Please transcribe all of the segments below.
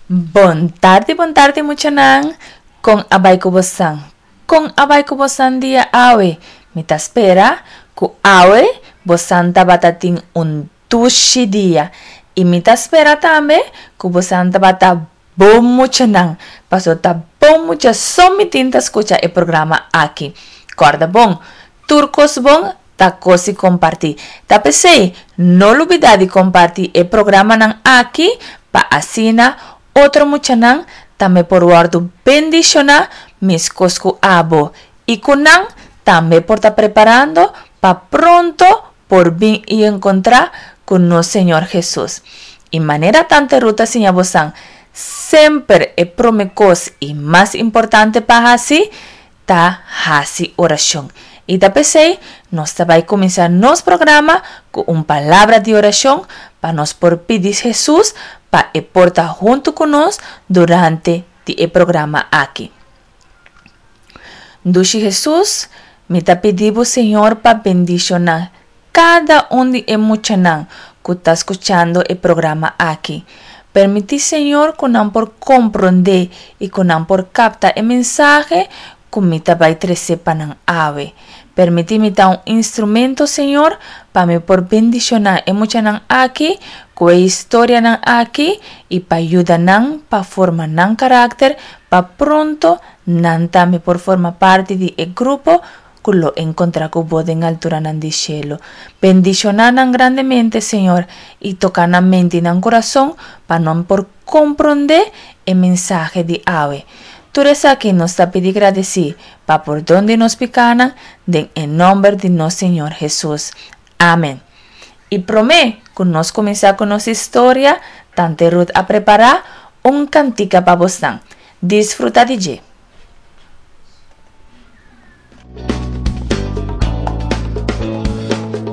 Bon tardi bon tardi muchanan kon a bai ku bosan kon a bai ku bosan dia awe mi ta spera ku awe bosan tabata tin un dushi dia i mi ta spera tambe ku bosan tabata bon muchanan paso ta bon mucha so mi tin ta skucha e programa aki kòrda bon tur kos bon ta kos di kompartí. Ta p'esei, no lubidá di kompartí e programanan aki pa asina otro muchanan tambe por wòrdu bendishoná meskos ku abo i ku nan tambe por ta preparando pa pronto por bin i enkontrá ku nos Señor Hesus. I manera Tante Ruth ta siña bosan, semper e promé kos i mas importante pa hasi ta hasi orashon. I ta p'esei nos ta bai kuminsá nos programa ku un palabra di orashon pa nos por pidi Hesus pa e por ta huntu ku nos durante di e programa aki. Dushi Hesus, mi ta pidi bo Señor pa bendishoná kada un di e muchanan ku ta skuchando e programa aki. Permití Señor ku nan por komprondé i ku nan por kapta e mensahe ku mi ta bai trese pa nan awe. Permití mi ta un instrumento, Señor, pa mi por bendishoná e muchanan aki ku e historianan aki i pa yuda nan pa forma nan karakter pa pronto nan tambe por forma parti di e grupo ku lo enkontrá ku bo den alturanan di shelu. Bendishoná nan grandemente, Señor, i toka nan mente i nan kurason pa nan por komprondé e mensahe di awe. Tur esaki nos ta pidi gradesí pa pordon di nos pikánan den e nòmber di nos Señor Hesus. Amen. I promé ku nos kuminsá ku nos historia, Tante Ruth a prepará un kantika pa bosnan. Disfrutá di dje!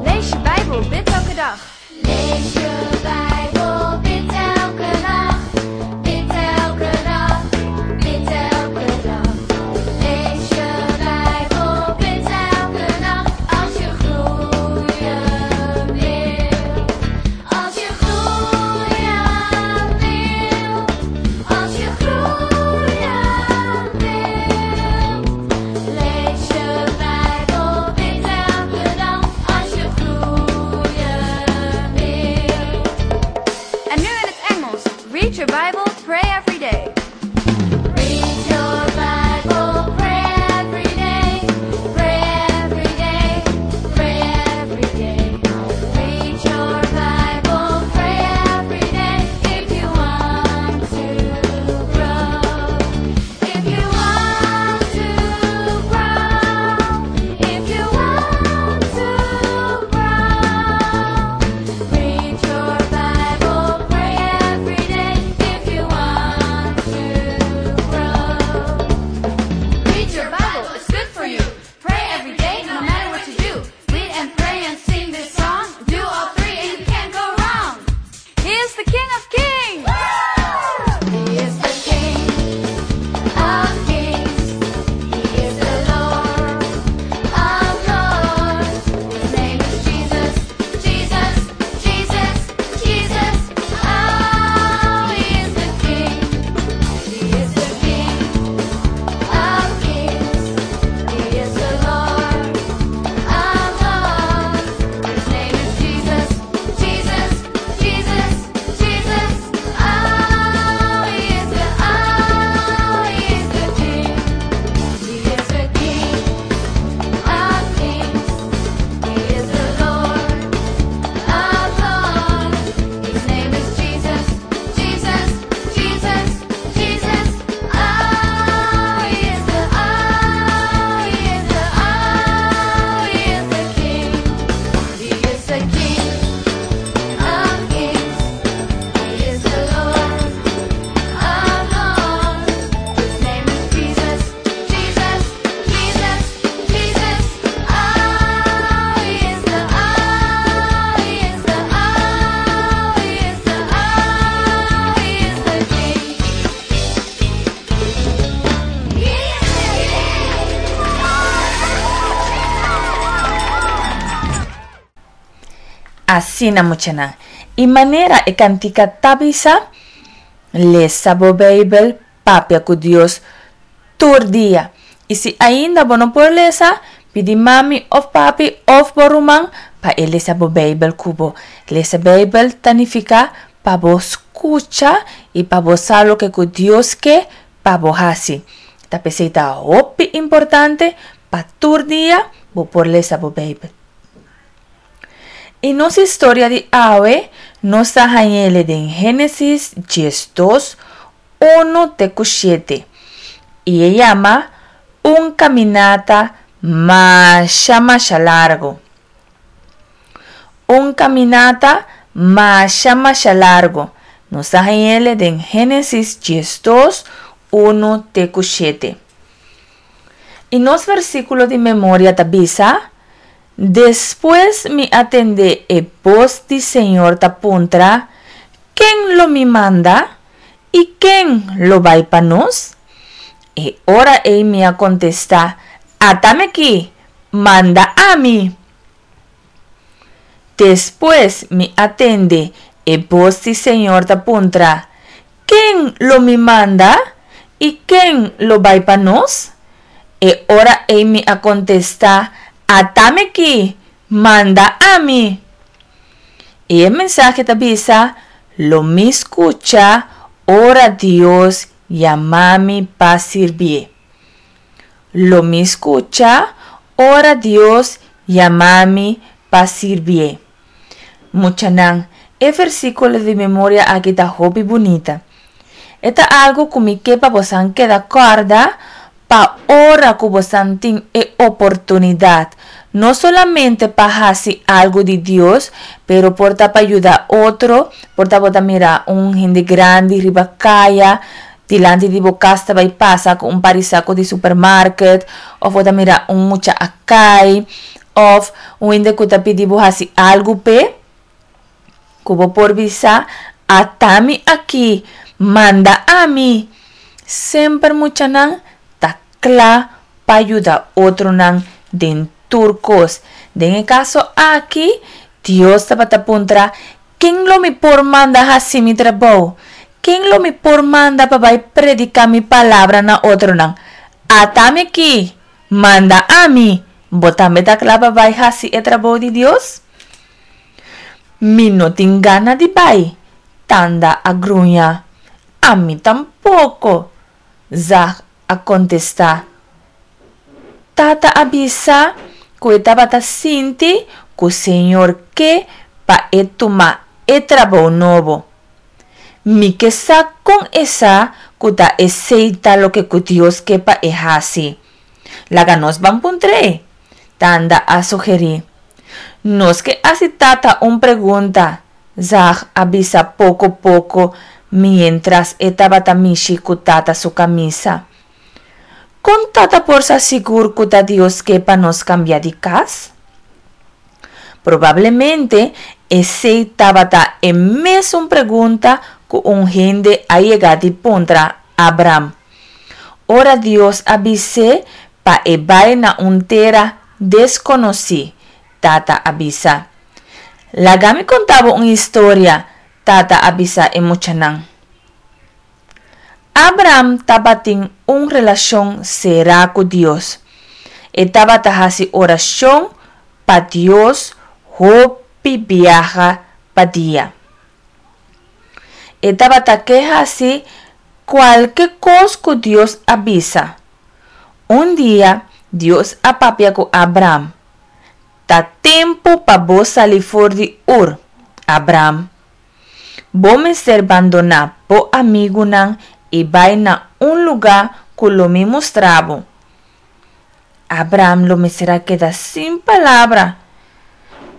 Lees je Bijbel, bid elke dag. Lees je Bijbel, bid elke nacht. Bid elke dag, bid elke dag. Lees je Bijbel, bid elke nacht. Als je groeien wil. Als je groeien wil. Als je groeien wilt. Lees je Bijbel, bid elke dag. Als je groeien wilt. En nu in het Engels. Read your Bible, pray every day. Read your Bible, pray every day. Pray every day, pray every day. Read your Bible, pray every day. If you want to grow, if you want to grow, if you want to grow. Read your Bible, pray every day. If you want to grow. Read your Bible, it's good for you. Pray every day, no matter what you do. Read and pray and sing this song. Do all three and you can't go wrong. He is the King of Kings! He is the King of Kings. He is the Lord of Lords. His name is Jesus, Jesus, Jesus, Jesus. Oh, he is the King. He is the King of Kings. He is the Lord of Lords. His name is Jesus, Jesus, Jesus, Jesus. Oh, he is the, oh, he is the King. He is the King of Kings. He is the Lord of Lords. His name is Jesus, Jesus, Jesus, Jesus. Oh, he is the, oh, he is the, oh, he is the King. He is the King of Kings. He is the Lord of Lords. His name is Jesus, Jesus, Jesus, Jesus. Oh, he is the, oh, he is the, oh, he is the, oh, he is the King. He is the King. Asina muchanan. I manera e kantika ta bisa. Lesa bo Beibel, papia ku Dios tur dia. I si ainda bo no por lesa, pidi mami òf papi òf bo ruman pa e lesa bo Beibel ku bo. Lesa Beibel ta nifiká pa bo skucha i pa bo sa loke ku Dios ke pa bo hasi. Ta p'esei ta hopi importante pa tur dia bo por lesa bo Beibel. I nos historia di awe nos ta hañ'ele den Génesis 12, 1 te ku 7 i e yama Un kaminata masha masha largu. Un kaminata masha masha largu. Nos ta hañ'ele den Génesis 12, 1 te ku 7. I nos versíkulo di memoria ta bisa, Despues mi a tende e bos di Señor ta puntra, Ken lo mi manda? I ken lo bai pa nos? E ora ei mi a kontestá, Ata mi aki! Manda ami! Despues mi a tende e bos di Señor ta puntra, Ken lo mi manda? I ken lo bai pa nos? E ora ei mi a kontestá, Ata mi aki! Manda ami! I e mensahe ta bisa, Lo mi skucha ora Dios yama mi pa sirbié. Lo mi skucha ora Dios yama mi pa sirbié. Muchanan, e versíkulo di memoria aki ta hopi bunita. E ta algu ku mi ke pa bosan keda kòrda pa ora ku bosan tin e oportunidat, no solamente pa hasi algu di Dios, pero por ta pa yuda otro, por ta bo ta mira un hende grandi riba kaya, dilanti di bo kas ta bai pasa ku un par di sako di supermarket, òf bo ta mira un mucha a kai, òf un hende ku ta pidi bo hasi algu p'e, Ku bo por bisa, Ata mi aki, manda ami! Semper muchanan ta kla pa yuda otronan den tur kos. Den e kaso aki, Dios tabata puntra, Ken lo mi por manda hasi mi trabou? Ken lo mi por manda pa bai prediká mi palabra na otronan? Ata mi aki, manda ami! Bo tambe ta kla pa bai hasi e trabou di Dios? Mi no tin gana di bai, Tanda a gruña. Ami tampoko, Zag a kontestá. Tata a bisa ku e tabata sinti ku Señor ke pa e tuma e trabou nobo. Mi ke sa kon e sa ku ta esei ta loke ku Dios ke pa e hasi. Laga nos ban puntr'é, Tanda a sugerí. Nos ke hasi tata un pregunta, Zag a bisa poko poko miéntras e tabata mishi ku tata su kamisa. Kon tata por sa sigur ku ta Dios ke pa nos kambia di kas? Probablemente esei tabata e mesun pregunta ku un hende a yega di puntra Abram. Ora Dios a bis'é pa e bai na un tera deskonosí, Tata a bisa. Laga mi konta bo un historia, Tata a bisa e muchanan. Abram tabatin un relashon será ku Dios. E tabata hasi orashon pa Dios hopi biaha pa dia. E tabata ke hasi kualke kos ku Dios a bisa. Un dia, Dios a papia ku Abram, Ta tempu pa bo sali for di Ur, Abram. Bo mester bandoná bo amigunan i bai na un lugá ku lo mi mustra bo. Abram lo mester a keda sin palabra.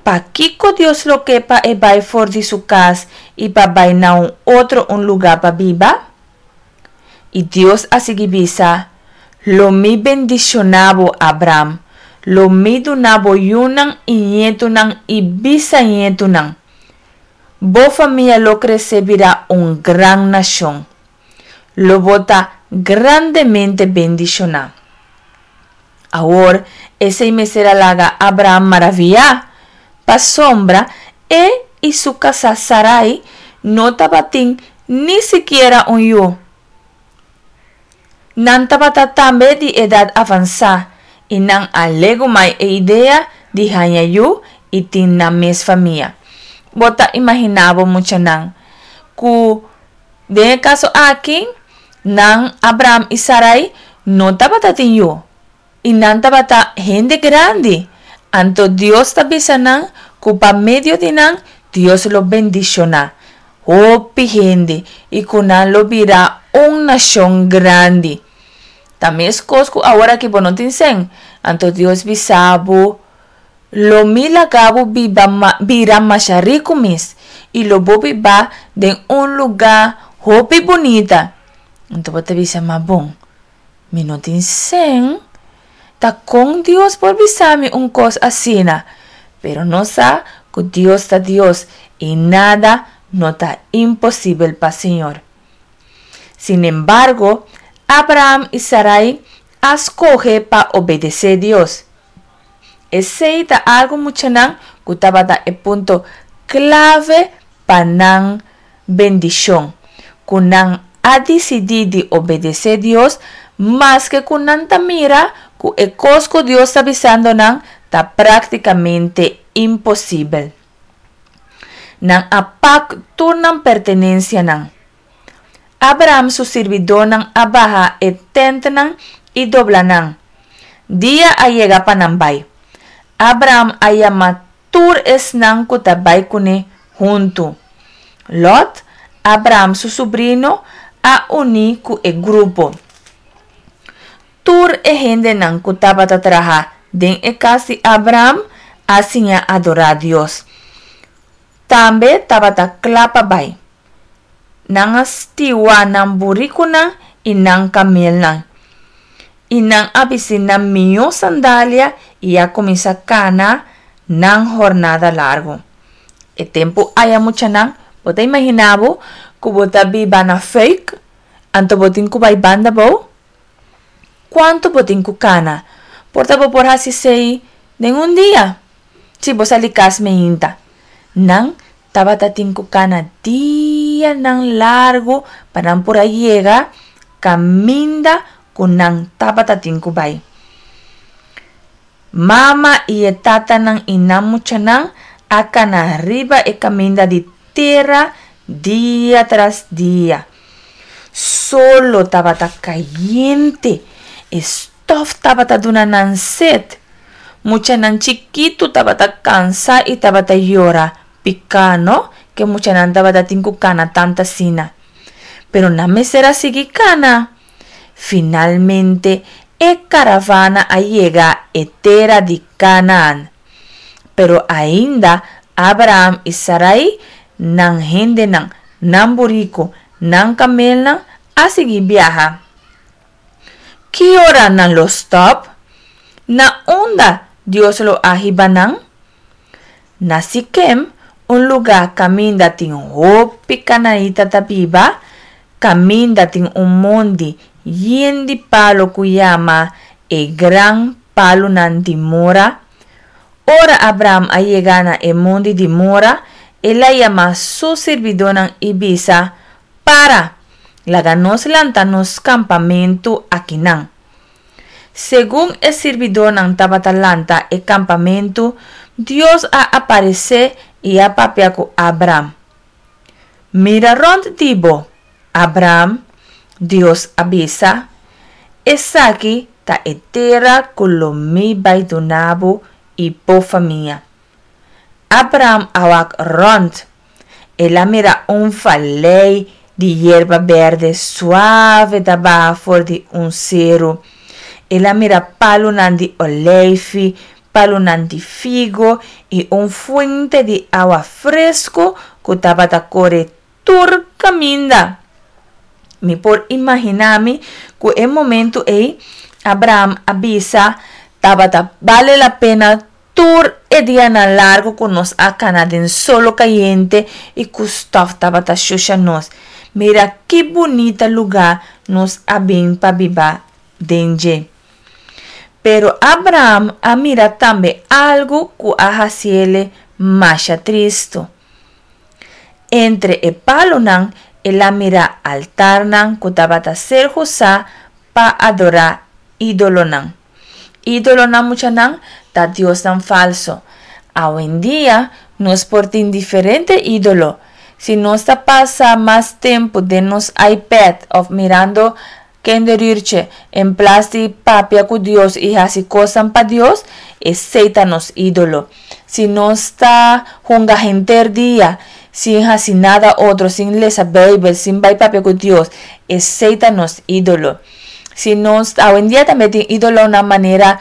Pakiko Dios lo ke pa e bai for di su kas i pa bai na un otro un lugá pa biba? I Dios a sigui bisa, Lo mi bendishoná bo, Abram. Lo mi duna bo yunan i ñetunan i bisañetunan. Bo famia lo krese bira un gran nashon. Lo bo ta grandemente bendishoná. Awor, esei mester a laga Abraham maraviyá, pasobra e i su kasá Sarai no tabatin ni sikiera un yu. Nan tabata tambe di edat avansá i nan a legumai e idea di haña yu i tin nan mes famia. Bo ta imaginá bo muchanan ku den e kaso aki nan Abraham i Sarai no tabata tin yu i nan tabata hende grandi, anto Dios ta bisa nan ku pa medio di nan Dios lo bendishoná hopi hende i ku nan lo bira un nashon grandi. Ta meskos ku aworakí bo no tin sèn, anto Dios bisa bo, Lo mi laga bo biba bira masha riku mes, i lo bo biba den un lugá hopi bunita. Anto bo ta bisa, Ma bon, mi no tin sèn. Ta kon Dios por bisa mi un kos asina? Pero nos sa ku Dios ta Dios i nada no ta imposibel pa Señor. Sinembargo, Abraham i Sarai a skohe pa obedesé Dios. Esei ta algu muchanan ku tabata e punto klave pa nan bendishon, ku nan a disidí di obedesé Dios maske ku nan ta mira ku e kos ku Dios ta bisando nan ta práktikamente imposibel. Nan a pak tur nan pertenensianan. Abraham su sirbidónan a baha e tèntnan i dobla nan. Dia a yega pa nan bai. Abraham a yama tur esnan ku ta bai kuné huntu. Lòt, Abraham su subrino, a uní ku e grupo. Tur e hendenan ku tabata traha den e kas di Abraham a siña adorá Dios. Tambe tabata kla pa bai. Nan a stiwa nan burikunan i nan kamelnan. I nan a bisti nan mihó sandalia i a kuminsá kana nan hornada largu. E tempu aya muchanan, bo ta imaginá bo ku bo ta biba na Fuik, anto bo tin ku bai banda bou? Kuantu bo tin ku kana? Por ta bo por hasi esei den un dia, si bo sali kas meinta. Nan tabata tin ku kana dianan largu pa nan por a yega kaminda ku nan tabata tin ku bai. Mama i e tatanan i nan muchanan a kana riba e kaminda di tera dia tras dia. Solo tabata kayente, e stòf tabata duna nan set. Muchanan chikitu tabata kansa i tabata yora, piká no ke muchanan tabata tin ku kana tanta asina. Pero nan mester a sigui kana. Finalmente e karavana a yega e tera di Kanaan. Pero ainda Abraham i Sarai, nan hendenan, nan buriku, nan kamelnan a sigui biaha. Ki ora nan lo stòp? Na unda Dios lo a hiba nan? Na Sikem, un lugá kaminda tin hopi kanaita ta biba, kaminda tin un mondi yen di palu ku yama e Gran Palunan di Mora. Ora Abraham a yega na e mondi di Mora, el a yama su sirbidónan i bisa, Para! Laga nos lanta nos kampamentu akinan. Segun e sirbidónan tabata lanta e kampamentu, Dios a aparesé i a papia ku Abraham. Mira rònt di bo, Abraham, Dios a bisa, esaki ta e tera ku lo mi bai duna bo i bo famia. Abraham a wak rònt. El a mira un valei di yerba bèrdè suave ta baha for di un seru. El a mira palunan di oleifi, palunan di figo i un fuente di awa fresku ku tabata kore tur kaminda. Mi por imaginá mi ku e momentu ei Abraham a bisa, Tabata bale la pena tur e dianan largu ku nos a kana den solo kayente i ku stòf tabata shusha nos. Mira ki bunita lugá nos a bin pa biba den dje. Pero Abraham a mira tambe algu ku a hasiele masha tristu. Entre e palunan El a mira altarnan ku tabata ser usá pa adorá ídolonan. Ídolonan, muchanan, ta diosnan falsu. Awendia nos por tin diferente ídolo. Si nos ta pasa mas tempu den nos iPad òf mirando kinderuurtje en plas di papia ku Dios i hasi kosnan pa Dios, esei ta nos ídolo. Si nos ta hunga henter dia sin hasi nada otro, sin lesa Beibel, sin bai papia ku Dios, esei ta nos ídolo. Si nos, awendia tambe tin ídolonan manera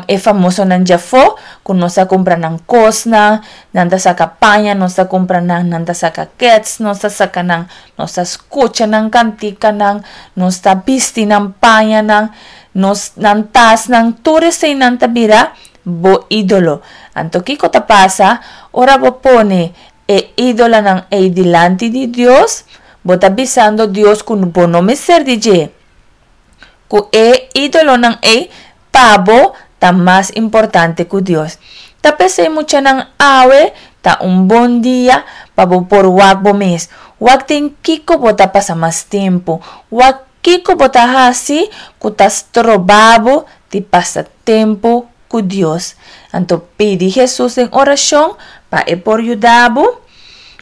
e famosonan djafó, ku nos ta kumpra nan kosnan, nan ta saka paña, nos ta kumpra nan, nan ta saka kèts, nos ta saka nan, nos ta skucha nan kantikanan, nos ta bisti nan pañanan, nos nan tasnan, tur eseinan ta bira bo ídolo. Anto kiko ta pasa ora bo pone e ídolonan ei dilanti di Dios? Bo ta bisando Dios ku bo no mester di dje, ku e ídolonan ei pa bo ta mas importante ku Dios. Ta p'esei muchanan awe ta un bon dia pa bo por wak bo mes, wak den kiko bo ta pasa mas tempu, wak kiko bo ta hasi ku ta stroba bo di pasa tempu ku Dios. Anto pidi Hesus den orashon pa e por yuda bo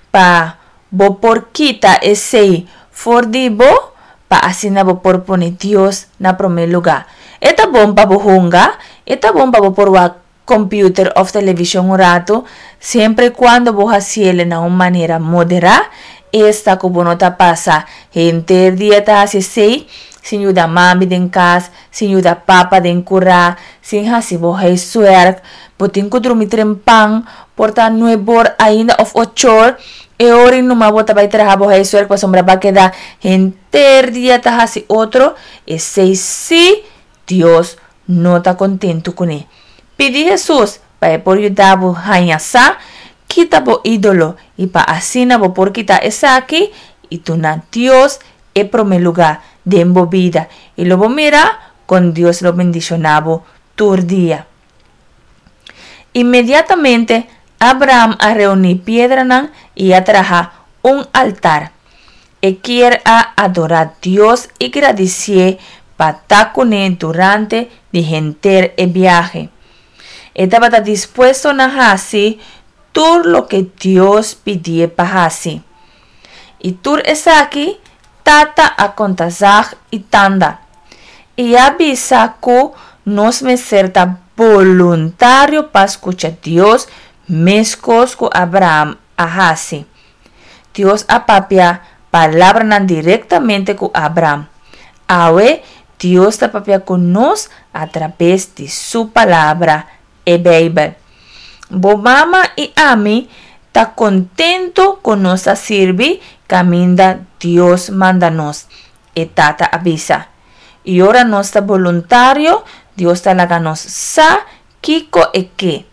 pa bo por kita esei for di bo pa asina bo por pone Dios na promé lugá. E ta bon pa bo hunga, e ta bon pa bo por wak computer òf televishon un ratu, siempre i kuando bo hasiel na un manera moderá, esta ku bo no ta pasa henter dia ta hasi esei, sin yuda mami den kas, sin yuda papa den kurá, sin hasi bo huiswerk, bo tin ku drumi trempan, por ta nuebor ainda òf ochor, e ora ei numa bo ta bai traha bo huiswerk pasobra bo a keda henter dia ta hasi otro, esei sí Dios no ta kontentu kuné. Pidi Hesus pa e por yuda bo haña sa kita bo ídolo i pa asina bo por kita esaki i duna Dios e promé lugá den bo bida i lo bo mira kon Dios lo bendishoná bo tur dia. Inmediatamente Abraham a reuní piedranan i a traha un altar. E kier a adorá Dios i gradisié pa ta kuné durante di henter e biahe. E tabata dispuesto na hasi tur loke Dios pidié pa hasi. I tur esaki Tata a konta zag i tanda. I a bisa ku nos mester ta boluntario pa skucha Dios meskos ku Abraham a hasi. Dios a papia palabranan direktamente ku Abraham. Awe Dios ta papia ku nos atrabes di su Palabra, e Beibel. Bo mama i ami ta kontentu ku nos ta sirbi kaminda Dios manda nos, e tata a bisa. I ora nos ta boluntario, Dios ta laga nos sa kiko e ke.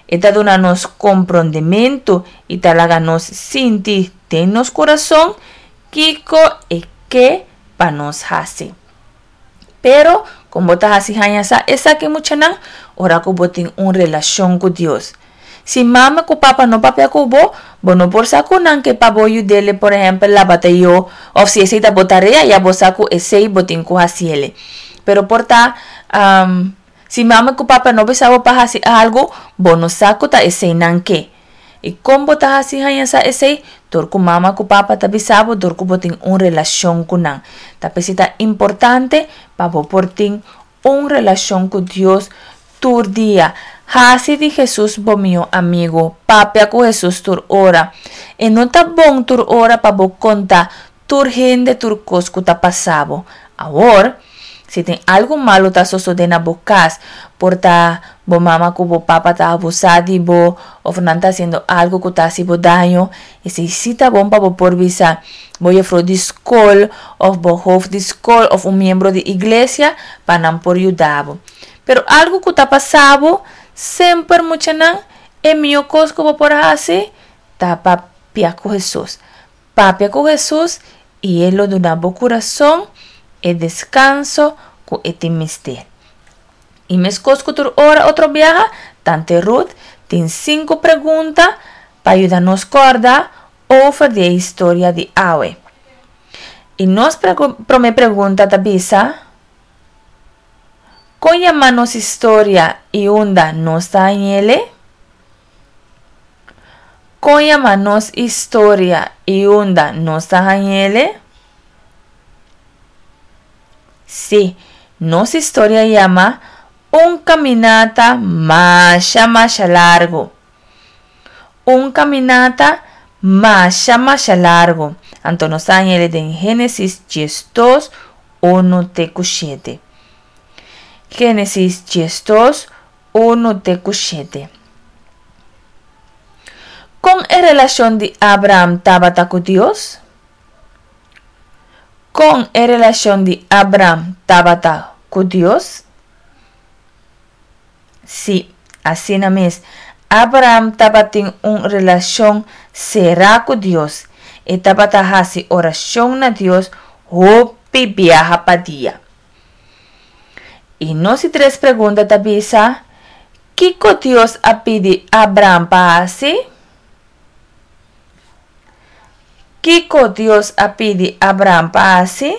E ta duna nos komprondementu i ta laga nos sinti den nos kurason kiko e ke pa nos hasi. Pero, kon bo ta hasi haña sa esaki muchanan? Ora ku bo tin un relashon ku Dios. Si mama ku papa no papia ku bo, bo no por sa ku nan ke pa bo yud'ele, por ehèmpel, laba tayó, òf si esei ta bo tarea, ya bo sa ku esei bo tin ku hasiele. Pero por ta, si mama ku papa no bisa bo pa hasi algu, bo no sa ku ta esei nan ke. I kon bo ta hasi haña sa esei? Dor ku mama ku papa ta bisa bo dor ku bo tin un relashon ku nan. Ta p'esei ta importante pa bo por tin un relashon ku Dios tur dia. Hasi di Hesus bo mihó amigu. Papia ku Hesus tur ora. E no ta bon tur ora pa bo konta tur hende tur kos ku ta pasa bo. Awor, si tin algu malu ta sosodé na bo kas, por ta bo mama ku bo papa ta abusá di bo òf nan ta hasiendo algu ku ta hasi bo daño, esei sí ta bon pa bo por bisa bo yefrou di skol òf bo hof di skol òf un miembro di iglesia pa nan por yuda bo. Pero algu ku ta pasa bo, semper muchanan, e mihó kos ku bo por hasi ta papia ku Hesus. Papia ku Hesus i e lo duna bo kurason e deskanso ku e tin mester. I meskos ku tur ora otro biaha, Tante Ruth tin sinku pregunta pa yuda nos kòrda over di e historia di awe. I nos promé pregunta ta bisa, Kon yama nos historia i unda nos ta hañ'ele? Kon yama nos historia i unda nos ta hañ'ele? Sí, nos historia yama Un kaminata masha masha largu. Un kaminata masha masha largu. Anto nos ta hañ'ele den Génesis 12, unu te ku shete. Génesis 12, unu te ku shete. Kon e relashon di Abraham tabata ku Dios? Kon e relashon di Abraham tabata ku Dios? Sí, asina mes, Abraham tabatin un relashon será ku Dios. E tabata hasi orashon na Dios hopi biaha pa dia. I nos di tres pregunta ta bisa, Kiko Dios a pidi Abraham pa hasi? Kiko Dios a pidi Abraham pa hasi?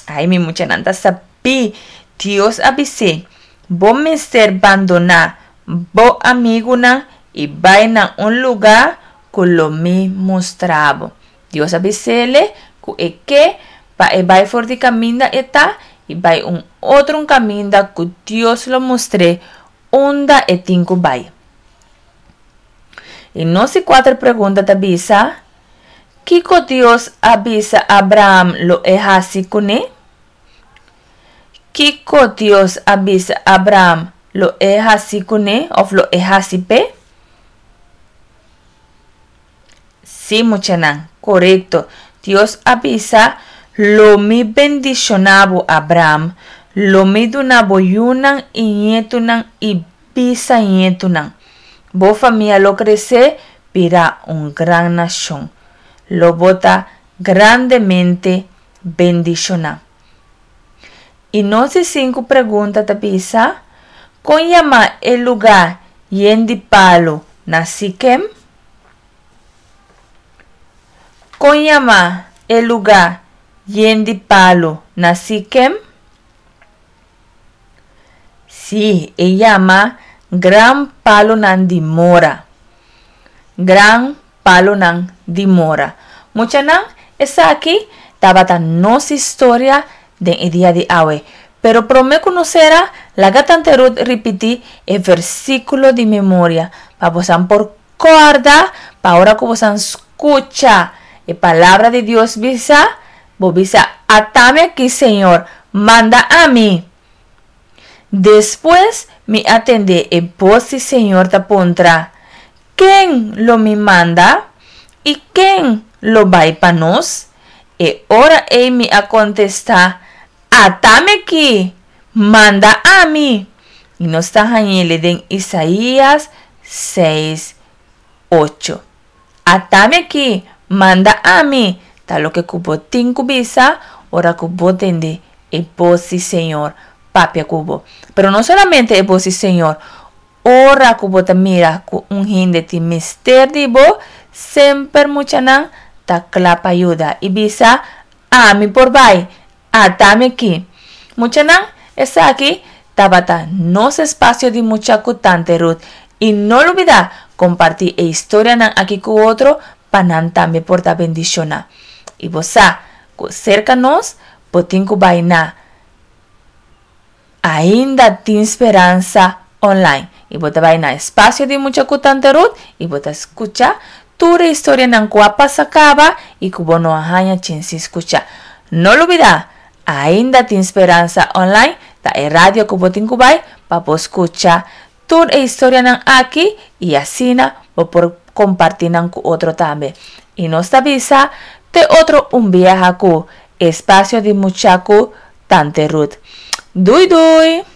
Ai, mi muchanan ta sabí. Dios a bis'é, Bo mester bandoná bo amigunan i bai na un lugá ku lo mi mustra bo. Dios a bis'é ku e ke pa e bai for di kaminda e ta i bai un otro un kaminda ku Dios lo mustr'é unda e tin ku bai. I nos di kuater pregunta ta bisa, Kiko Dios a bisa Abraham lo e hasi kuné? Kiko Dios a bisa Abraham lo e hasi kuné òf lo e hasi p'e? Sí, muchanan, korekto. Dios a bisa, Lo mi bendishoná bo, Abraham. Lo mi duna bo yunan i ñetunan i bisañetunan. Bo famia lo kresé bira un gran nashon. Lo bo ta grandemente bendishoná. I nos di sinku pregunta ta bisa, Kon yama e lugá yen di palu na Sikem? Kon yama e lugá yen di palu na Sikem? Sí, e yama Gran Palunan di Mora. Gran Palunan di Mora. Muchanan, esaki tabata nos historia den e dia di awe. Pero promé ku nos sera, laga Tante Ruth ripití e versíkulo di memoria pa bosan por kòrda pa ora ku bosan skucha e Palabra di Dios bisa, Bo bisa, Atami aki, Señor, manda ami! Despues mi a tende e bos di Señor ta puntra, Ken lo mi manda? I ken lo bai pa nos? E ora ei mi a kontestá, Atami aki! Manda ami! I nos ta hañ'ele den Isaías seis, ocho. Atami aki, manda ami, ta loke ku bo tin ku bisa ora ku bo tende e bos di Señor papia ku bo. Pero no solamente e bos di Señor, ora ku bo ta mira ku un hende tin mester di bo, semper muchanan ta kla pa yuda i bisa, Ami por bai, atami aki. Muchanan, esaki tabata nos espasio di mucha ku Tante Ruth i no lubidá kompartí e historianan aki ku otro pa nan tambe por ta bendishoná. I bo sa ku serka nos bo tin ku bai na Ainda Tin Speransa Online i bo ta bai na Espasio di Mucha ku Tante Ruth i bo ta skucha tur e historianan ku a pasa kaba i ku bo no a haña chensi skucha. No lubidá, Ainda Tin Speransa Online ta e radio ku bo tin ku bai pa bo skucha tur e historianan aki i asina bo por kompartí nan ku otro tambe. I nos ta bisa te otro un biaha ku Espasio di Mucha ku Tante Ruth. Dui dui!